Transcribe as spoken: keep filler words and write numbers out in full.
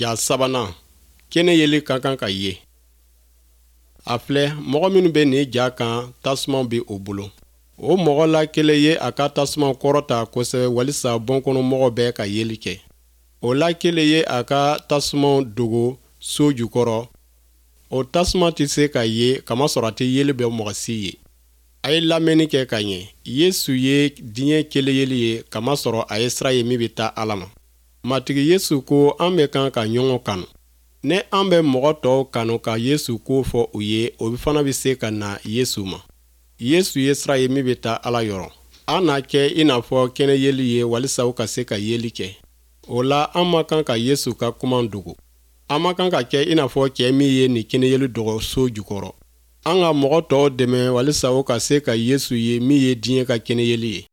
Ja sabanan, kɛnɛ yeli ka kan ka ye. A filɛ, mɔgɔ minnu bɛ nin ja kan, tasuma bɛ o bolo. O mɔgɔ la kelen ye a ka tasuma kɔrɔta kosɛbɛ walisa bɔnkɔnɔmɔgɔ bɛɛ ka yeli kɛ. O la kelen ye a ka tasuma dogo so jukɔrɔ. O tasuma tɛ se ka ye, kamasɔrɔ a tɛ yeli bɛ mɔgɔ si ye. A ye lamɛnni kɛ ka ɲɛ. Yesu ye diɲɛ kelen yeli ye, kamasɔrɔ a ye sira ye min bɛ taa Ala ma. Matigi Yesu ko an bɛ kan ka ɲɔgɔn kanu. Ni an bɛ mɔgɔ tɔw kanu ka Yesu ko fɔ u ye, o fana bɛ se ka na Yesu ma. Yesu ye sira ye min bɛ taa Ala yɔrɔ. An na kɛ i n'a fɔ kɛnɛ yeli ye walisa u ka se ka yeli kɛ. O la, an man kan ka Yesu ka kuma dogo. An man kan ka kɛ i n'a fɔ cɛ min ye nin kɛnɛ yeli dogo so jukɔrɔ. An ka mɔgɔ tɔw dɛmɛ walisa u ka se ka Yesu ye min ye diɲɛ ka kɛnɛ yeli ye.